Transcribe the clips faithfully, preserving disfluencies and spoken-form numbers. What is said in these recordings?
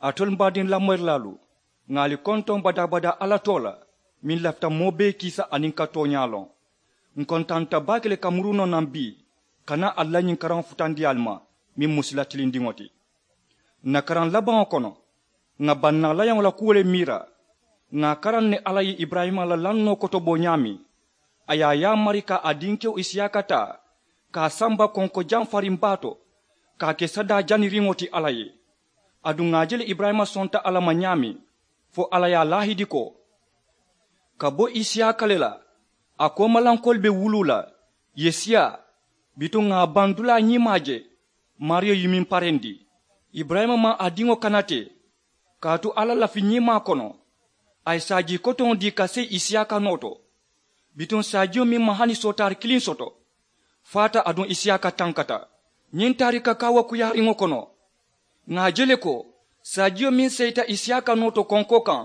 Alitolu m baadiŋ lamoyirilaalu, ŋà ali kontoŋ badaa-badaa alla too la, meŋ lafita moo bee kiisa aniŋ ka tooñaa loŋ. Ǹ kontanta baake le ka muru noo naŋ bii, ka naa ali la ñiŋ karaŋo futandi ali ma, meŋ mu sila tilindiŋo ti. Ǹ na karaŋ labaŋo kono, ŋà bannaa layaŋo la kuwo le miira. Ŋà a karaŋ ne alla ye iburayima la lannoo kotobo ñaameŋ, a ye a yaamari ka a dinkewo isiyaaka taa, ka a samba konko jaŋ fariŋ baa to, ka a ke sadaa janiriŋo ti alla ye. Aduŋ ŋà a je le iburayima sonta alla ma ñaameŋ, fo alla ye a laahidi ko, ka bo isiyaaka le la, a koomalankoolu be wuluu la, ì ye siyaa. Bituŋ ŋà a baŋ dulaa ñiimaa je, maariyo ye meŋ parendi. Iburayima maŋ a diŋo kana te, kaatu alla lafi ñiimaa kono, a ye saajii kotoŋo dii ka seyi isiyaaka noo to. Bituŋ saajiyo meŋ maŋ hani sootaari kiliŋ soto, faata aduŋ isiyaaka tankata. Ñiŋ taarika kaawakuyaariŋo kono, ŋà a je le ko saajiyo meŋ seyita isiyaaka noo to konkoo kaŋ,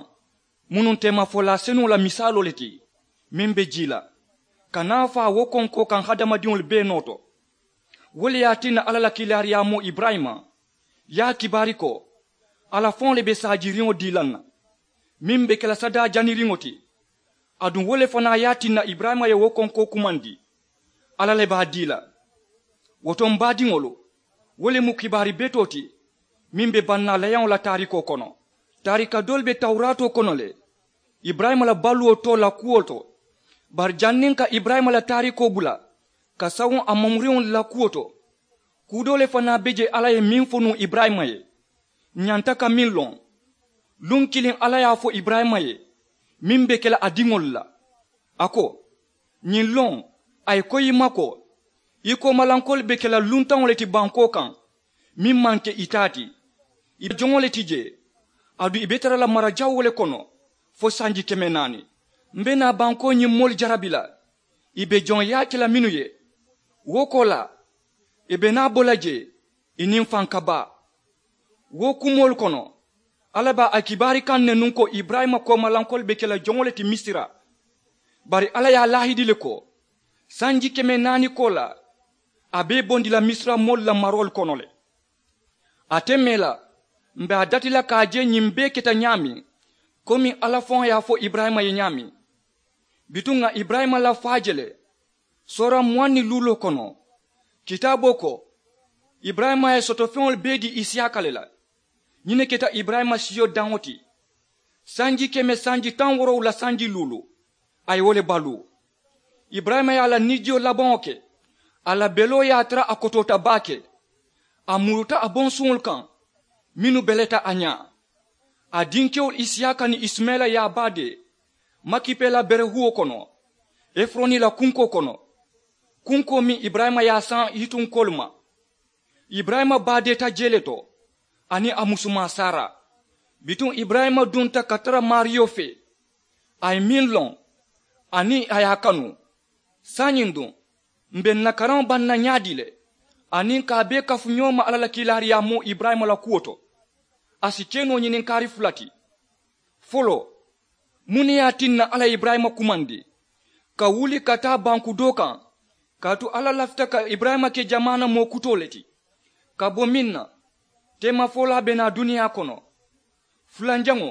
mu nuŋ teemafolaa senuŋo la misaaloo le ti, meŋ be jii la, ka naa faa wo konkoo kaŋ hadamadiŋolu bee noo to. Wo le ye a tinna alla la kiilaariyaamoo iburayima ye a kibaari ko, alla faŋo le be saajiiriŋo dii la ǹ na, meŋ be ke la sadaa janiriŋo ti. Aduŋ wo le fanaa ye a tinna iburayima ye wo konkoo kumandi, alla le be a dii la. Wo to m baadiŋolu, wo le mu kibaari betoo ti, meŋ be bannaa layaŋo la taarikoo kono. Taarika doolu be tawuraatoo kono le, iburayima la baluwo too la kuwo to. Bari janniŋ ka iburayima la taarikoo bula ka sawoŋ a mamuriŋolu la kuwo to, kuu doo le fanaa be je alla ye meŋ fo nuŋ iburayima ye, ǹ ñanta ka meŋ loŋ. Luŋ kiliŋ alla ye a fo iburayima ye, meŋ be ke la a diŋolu la, a ko, ñiŋ loŋ, a ye koyi i ma ko, i koomalankoolu be ke la luntaŋo le ti bankoo kaŋ, meŋ maŋ ke i taa ti. I be joŋo le ti jee, aduŋ i be tara la mara jawoo le kono fo sanji keme naani. M be naa bankoo ñiŋ moolu jarabi la, i be joŋ yaake la mennu ye, wo koolaa, i be naa bo la jee, i niŋ faŋ ka baa. Wo kumoolu kono, alla be a kibaari kaŋ ne nuŋ ko iburayima koomalankoolu be ke la joŋo le ti misira. Bari alla ye a laahidi le ko, sanji keme naani koolaa, a be i bondi la misira moolu la maroolu kono le. Ate mee la, m be a dati la ka a je ñiŋ bee keta ñaameŋ, komi alla faŋo ye a fo iburayima ye ñaameŋ. Bituŋ ŋà iburayima la faa je le, soora muwaŋ niŋ luuloo kono, kitaaboo ko, iburayima ye sotofeŋolu bee dii isiyaaka le la. Ñiŋ ne keta iburayima siyo daŋo ti. Sanji keme sanji taŋ woorowula sanji luulu, a ye wo le baluu. Iburayima ye a la niijiyo labaŋo ke, a la beloo ye a tara a kotoota baake. A muruta a bonsuŋolu kaŋ, mennu beleta a ñaa. A dinkewolu isiyaaka niŋ isimayila ye a baadee makipela berehuwo kono, efuroni la kunkoo kono, kunkoo meŋ iburayima ye a saŋ hitunkoolu ma. Iburayima baadeeta jee le to, aniŋ a musumaa sara. Bituŋ iburayima dunta ka tara maariyo fee, a ye meŋ loŋ, aniŋ a ye a kanu. Saayiŋ duŋ, m be ǹ na karaŋo baŋ na ñaadii le, aniŋ ka a bee kafu ñoo ma alla la kiilaariyaamoo iburayima la kuwo to? A si ke noo ñininkaari fula ti. Foloo, muŋ ne ye a tinna alla ye iburayima kumandi ka wuli ka taa banku doo kaŋ? Kaatu alla lafita ka iburayima ke jamaana moo kutoo le ti, ka bo meŋ na teemafolaa be naa duniyaa kono. Fulanjaŋo,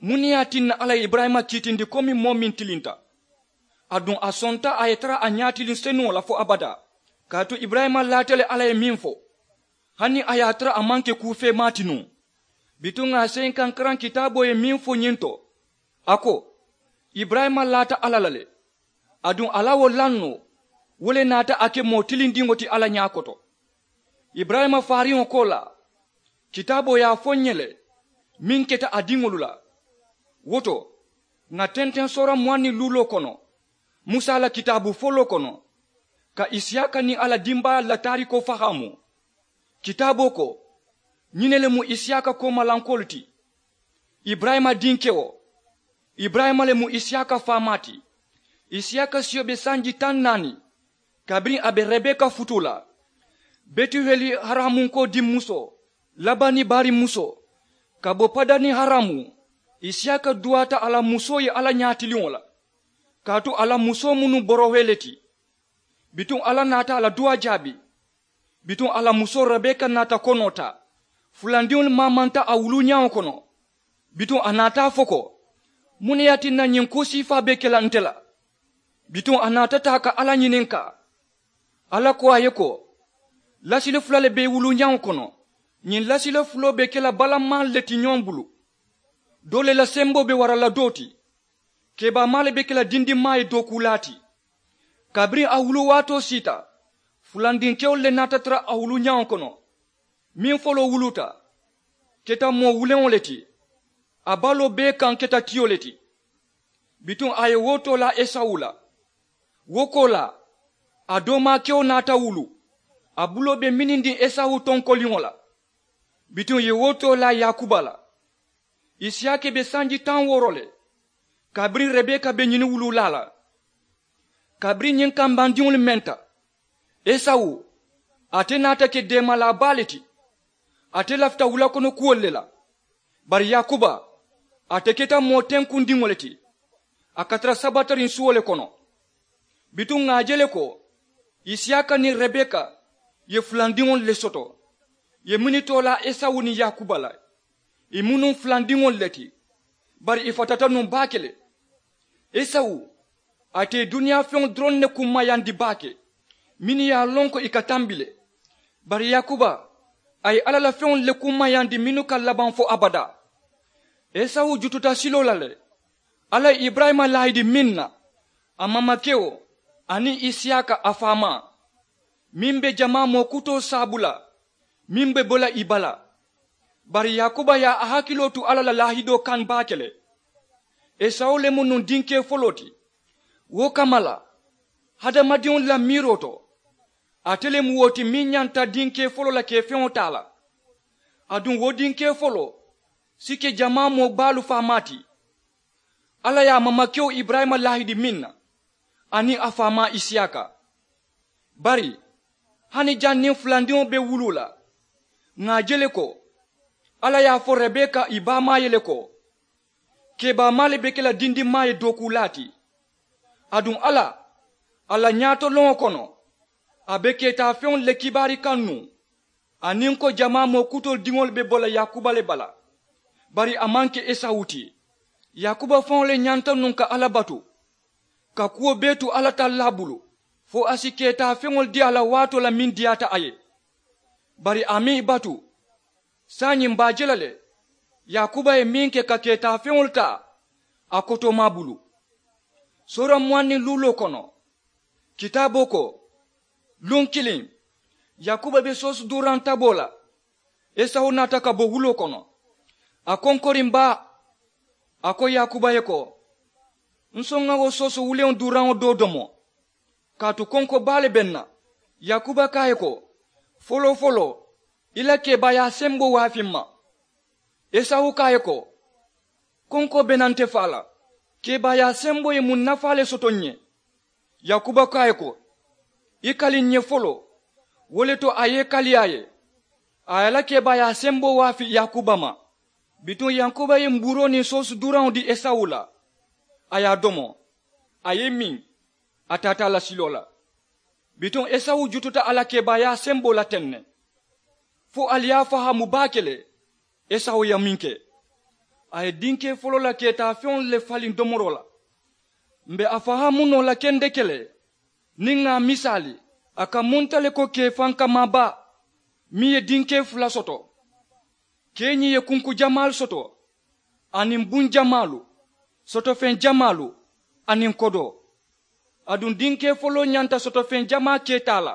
muŋ ne ye a tinna alla ye iburayima kiitindi komi moo meŋ tilinta? Aduŋ a sonta a ye tara a ñaatiliŋ senuŋo la fo abadaa. Kaatu iburayima laata le alla ye meŋ fo, hani a ye a tara a maŋ ke kuu feemaa ti nuŋ. Bituŋ ŋà a seyinkankaraŋ kitaaboo ye meŋ fo ñiŋ to, a ko, iburayima laata alla la le, aduŋ a la wo lannoo, wo le naata a ke moo tilindiŋo ti alla ñaa koto. Iburayima faariŋo koolaa, kitaaboo ye a fo ǹ ye le, meŋ keta a diŋolu la. Wo to, ŋà tenteŋ soora muwaŋ niŋ luuloo kono, musa la kitaabu foloo kono, ka isiyaaka niŋ a la dimbaayaalu la taarikoo fahaamu. Kitaaboo ko, ñiŋ ne le mu isiyaaka koomalankoolu ti. Iburayima dinkewo, iburayima le mu isiyaaka faamaa ti. Isiyaaka siyo be sanji taŋ naani, kabiriŋ a be rebeka futuu la, betuheli haramunkoo dimmusoo, labani baarimusoo, ka bo padani haramu. Isiyaaka duwaata a la musoo ye alla ñaatiliŋo la, kaatu a la musoo mu nuŋ borohee le ti. Bituŋ alla naata a la duwaa jaabi. Bituŋ a la musoo rebeka naata konoo taa, Fulandiŋolu maamanta a wuluñaŋo kono. Bituŋ a naata a fo ko, muŋ ne ye a tinna ñiŋ kuu siifaa be ke la nte la? Bituŋ a naata taa ka alla ñininkaa. Alla ko a ye ko, lasilo fula le be i wuluñaŋo kono. Ñiŋ lasilo fuloo be ke la balamaalu le ti ñoŋ bulu. Doo le la semboo be wara la doo ti. Kebaamaalu be ke la dindinmaa ye dookuulaa ti. Kabiriŋ a wuluwaatoo siita, fulandinkewolu le naata tara a wuluñaŋo kono. Meŋ foloo wuluuta, keta moo wuleŋo le ti. A baloo bee kaŋ keta tiyo le ti. Bituŋ a ye wo toolaa esawu la. Wo koolaa, a doomaakewo naata wulu. A buloo be minindiŋ esawu tonkoliŋo la. Bituŋ ì ye wo toolaa yaakuba la. Isiyaaka be sanji taŋ wooro le, kabiriŋ rebeka be ñini wuluulaa la. Kabiriŋ ñiŋ kambandiŋolu menta, esawu, ate naata ke deemalaa baa le ti. Ate lafita wulakono kuwolu le la. Bari yaakuba, ate keta moo tenkundiŋo le ti. A ka tara sabatariŋ suwo le kono. Bituŋ ŋà a je le ko, isiyaaka niŋ rebeka ye fulandiŋolu le soto. Ì ye minnu toolaa esawu niŋ yaakuba la, ì mu nuŋ fulandiŋolu le ti. Bari ì fatata nuŋ baake le. Esawu, ate ye duniyaa feŋolu doroŋ ne kummayandi baake, mennu ye a loŋ ko ì ka tambi le. Bari yaakuba, a ye alla la feŋolu le kummayandi mennu ka labaŋ fo abadaa. Esawu jututa siloo la le. Alla ye iburayima laahidi meŋ na, a maamakewo, aniŋ isiyaaka a faamaa, meŋ be jamaa moo kutoo saabu la, meŋ be bo la ì bala. Bari yaakuba ye a hakiloo tu alla la laahidoo kaŋ baake le. Esawu le mu nuŋ dinkee foloo ti. Wo kamma la, hadamadiŋolu la miiroo to, ate le mu wo ti meŋ ñanta dinkee foloo la kee feŋo taa la. Aduŋ wo dinkee foloo si ke jamaa moo baalu faamaa ti. Alla ye a maamakewo iburayima laahidi meŋ na, aniŋ a faamaa isiyaaka. Bari, hani janniŋ fulandiŋo be wuluu la, ŋà a je le ko, alla ye a fo rebeka ì baamaa ye le ko, kebaamaalu be ke la dindinmaa ye dookuulaa ti. Aduŋ alla, a la ñaatoloŋo kono, a be keetaafeŋolu le kibaari kaŋ nuŋ, aniŋ ko jamaa moo kutoolu diŋolu be bo la yaakuba le bala. Bari a maŋ ke esawu ti. Yaakuba faŋo le ñanta nuŋ ka alla batu, ka kuwo bee tu alla tallaa bulu, fo a si keetaafeŋolu dii a la waatoo la meŋ diyaata a ye. Bari a maŋ ì batu. Saayiŋ m̀ be a je la le, yaakuba ye meŋ ke ka keetaafeŋolu taa a kotoomaa bulu. Soora muwaŋ niŋ luuloo kono, kitaaboo ko, luŋ kiliŋ, yaakuba be soosu duuraŋ taboo la. Esawu naata ka bo wuloo kono, a konkoriŋ baa. A ko yaakuba ye ko, n soŋ ŋa wo soosu wuleŋo duuraŋo doo domo, kaatu konko baa le be n na. Yaakuba ko a ye ko, foloo foloo, i la kebaayaa semboo waafi m ma. Esawu ko a ye ko, konkoo be naŋ nte faa la. Kebaayaa semboo ye muŋ nafaa le soto n ye? Yaakuba ko a ye ko, i kali n ye foloo. Wo le to a ye i kali a ye, a ye a la kebaayaa semboo waafi yaakuba ma. Bituŋ yaakuba ye mbuuroo niŋ soosu duuraŋo dii esawu la, a ye a domo, a ye i miŋ, a taata a la siloo la. Bituŋ esawu jututa a la kebaayaa semboo la teŋ ne. Fo ali ye a fahaamu baake le, esawu ye meŋ ke, a ye dinkee foloo la keetaafeŋolu le faliŋ domoroo la. M̀ be a fahaamu noo la kendeke le, niŋ ŋà a misaali, a ka munta le ko kee fankamaa baa meŋ ye dinkee fula soto, keeñiŋ ye kunku jamaalu soto, aniŋ buŋ jamaalu, sotofeŋ jamaalu, aniŋ kodoo. Aduŋ dinkee foloo ñanta sotofeŋ jamaa keetaa la.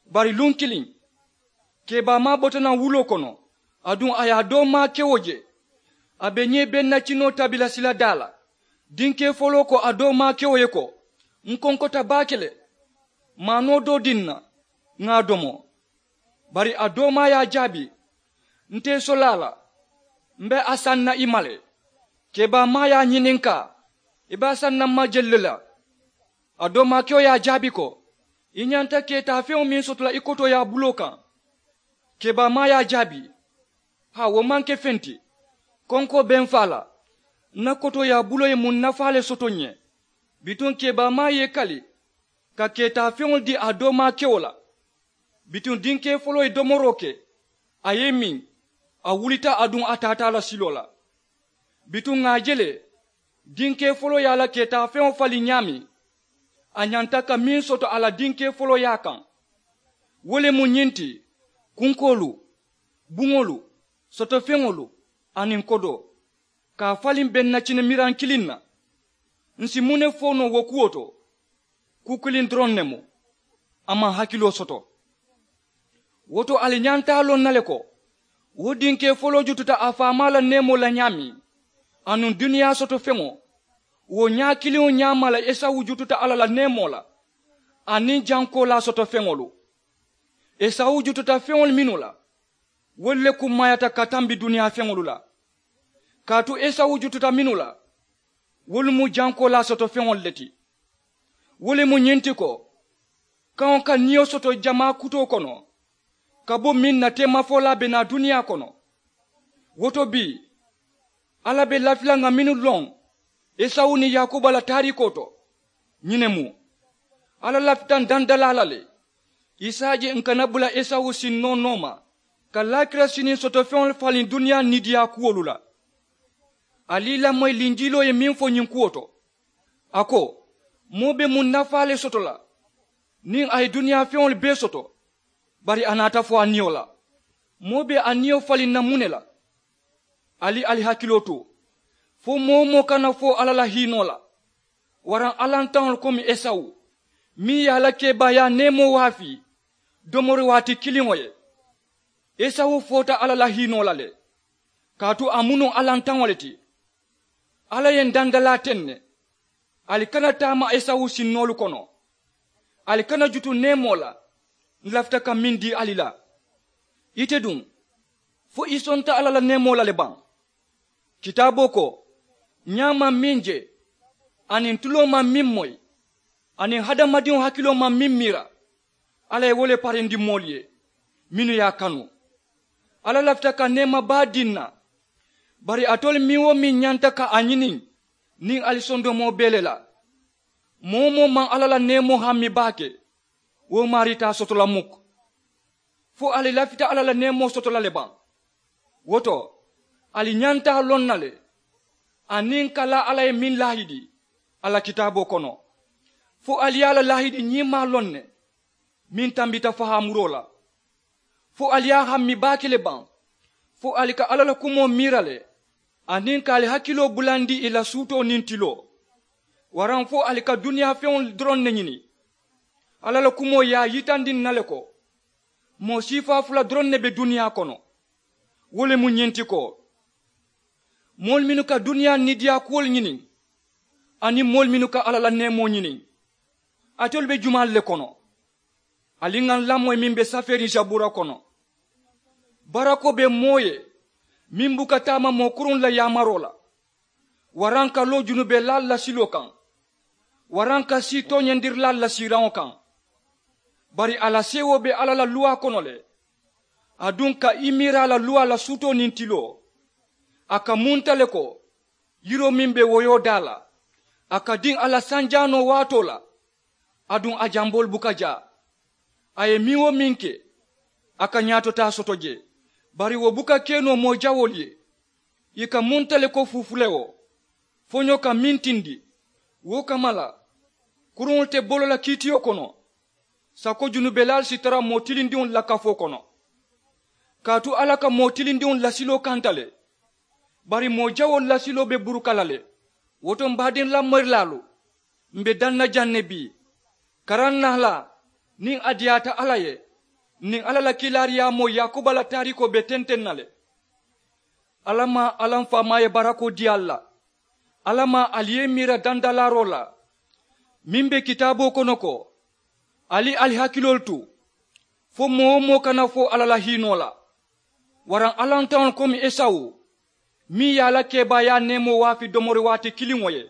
Bari luŋ kiliŋ, kebaamaa bota naŋ wuloo kono, aduŋ a ye a doomaakewo je. A be ñee bennacinoo tabi la siladaa la. Dinkee foloo ko a doomaakewo ye ko, n konkota baake le. Maanoo doo dii n na, ŋà a domo. Bari a doomaa ye a jaabi, n te i sola a la, m be a saŋ na i ma le. Kebaamaa ye a ñininkaa, i be a saŋ na m ma jelu le la? A doomaakewo ye a jaabi ko, i ñanta keetaafeŋo meŋ soto la i kotooyaa buloo kaŋ. Kebaamaa ye a jaabi, haa, wo maŋ ke feŋ ti. Konkoo be m faa la, n na kotooyaa buloo ye muŋ nafaa le soto n ye? Bituŋ kebaamaa ye i kali ka keetaafeŋolu dii a doomaakewo la. Bituŋ dinkee foloo ye domoroo ke, a ye i miŋ, A wulita aduŋ a taata a la siloo la. Bituŋ ŋà a je le, dinkee folooyaa la keetaafeŋo faliŋ ñaameŋ, a ñanta ka meŋ soto a la dinkee folooyaa kaŋ, wo le mu ñiŋ ti: kunkoolu, buŋolu, sotofeŋolu, aniŋ kodoo, ka a faliŋ beŋ na cinimiraŋ kiliŋ na. Ǹ si muŋ ne fo noo wo kuwo to? Kuu kiliŋ doroŋ ne mu. A maŋ hakiloo soto. Wo to ali ñanta a loŋ na le ko, wo dinkee foloo jututa a faamaa la neemoo la ñaameŋ, anuŋ duniyaa soto feŋo, wo ñaa kiliŋo ñaama la esawu jututa alla la neemoo la, aniŋ jankoolaa soto feŋolu. Esawu jututa feŋolu mennu la, wolu le kummaayata ka tambi duniyaa feŋolu la. Kaatu esawu jututa mennu la, wolu mu jankoolaa soto feŋolu le ti. Wo le mu ñiŋ ti ko, kaŋo ka niyo soto jamaa kutoo kono, ka bo meŋ na teemafolaa be naa duniyaa kono. Wo to bii, alla be lafi la ŋà mennu loŋ esawu niŋ yaakuba la taariikoo to. Ñiŋ ne mu, alla lafita ǹ dandalaa la le, i si a je ǹ kana bula esawu sinnoo nooma, ka laakira siniŋ soto feŋolu faliŋ duniyaa niidiyaa kuwolu la. Ali i lamoyi linjiiloo ye meŋ fo ñiŋ kuwo to. A ko, moo be muŋ nafaa le soto la niŋ a ye duniyaa feŋolu bee soto, bari a naata fo a niyo la. Moo be a niyo faliŋ na muŋ ne la? Ali ali hakiloo tu, fo moo-wo-moo kana fo alla la hiinoo la, waraŋ allantaŋolu komi esawu, meŋ ye a la keebaayaa neemoo waafii domori waati kiliŋo ye. Esawu foota alla la hiinoo la le, kaatu a mu nuŋ allantaŋo le ti. Alla ye ǹ dandalaa teŋ ne. Ali kana taama esawu sinnoolu kono. Ali kana jutu neemoo la, ǹ lafita ka meŋ dii ali la. Ite duŋ, fo i sonta alla la neemoo la le baŋ? Kitaaboo ko, ñaa maŋ meŋ je, aniŋ tuloo maŋ meŋ moyi, aniŋ hadamadiŋo hakiloo maŋ meŋ miira, alla ye wo le parendi moolu ye mennu ye a kanu. Alla lafita ka neema baa dii ǹ na. Bari alitolu meŋ-wo-meŋ ñanta ka a ñini, niŋ ali sondomoo be le la, moo-wo-moo maŋ alla la neemoo hammi baake, wo maarii te a soto la muk. Fo ali lafita alla la neemoo soto la le baŋ? Wo to, ali ñanta a loŋ na le, aniŋ ka laa alla ye meŋ laahidi a la kitaaboo kono. Fo ali ye a la laahidi ñiimaa loŋ ne, meŋ tambita fahaamuroo la. Fo ali ye a hammi baake le baŋ? Fo ali ka alla la kumoo miira le, aniŋ ka ali hakiloo bulandi ì la suutoo niŋ tiloo? Waraŋ fo ali ka duniyaa feŋolu doroŋ ne ñini? Alla la kumoo ye a yitandi ǹ na le ko, moo siifaa fula doroŋ ne be duniyaa kono. Wo le mu ñiŋ ti ko, moolu mennu ka duniyaa niidiyaa kuwolu ñini, aniŋ moolu mennu ka alla la neemoo ñini, alitolu be jumaalu le kono? Ali ŋà ǹ lamoyi meŋ be safeeriŋ sabuura kono. Barakoo be moo ye meŋ buka taama moo kuruŋolu la yaamaroo la, waraŋ ka loo junubelaalu la siloo kaŋ, waraŋ ka sii tooñandirilaalu la siiraŋo kaŋ. Bari a la seewoo be alla la luwaa kono le, aduŋ ka i miira a la luwaa la suutoo niŋ tiloo. A ka munta le ko yiroo meŋ be woyoo daa la, a ka diŋ a la sanjaanoo waatoo la, aduŋ a jamboolu buka jaa. A ye meŋ-wo-meŋ ke, a ka ñaatotaa soto je, bari wo buka ke noo moo jawoolu ye. Ì ka munta le ko fufulewo, foñoo ka meŋ tindi. Wo kamma la, kuruŋolu te bolo la kiitiyo kono, sako junubelaalu si tara moo tilindiŋolu la kafoo kono. Kaatu alla ka moo tilindiŋolu la siloo kanta le, bari moo jawoolu la siloo be buruka la le. Wo to, m baadiŋ lamoyirilaalu, m be daŋ na jaŋ ne bii, karaŋ nahalaa niŋ a diyaata alla ye, niŋ alla la kiilaariyaamoo yaakuba la taariikoo be tenteŋ na le. Alla maŋ alla m faamaa ye barakoo dii ali la. Alla maŋ ali ye i miira dandalaaroo la meŋ be kitaaboo kono ko, ali ali hakiloolu tu, fo moo-wo-moo kana fo alla la hiinoo la, waraŋ allantaŋolu komi esawu, meŋ ye a la keebaayaa neemoo waafi domori waati kiliŋo ye.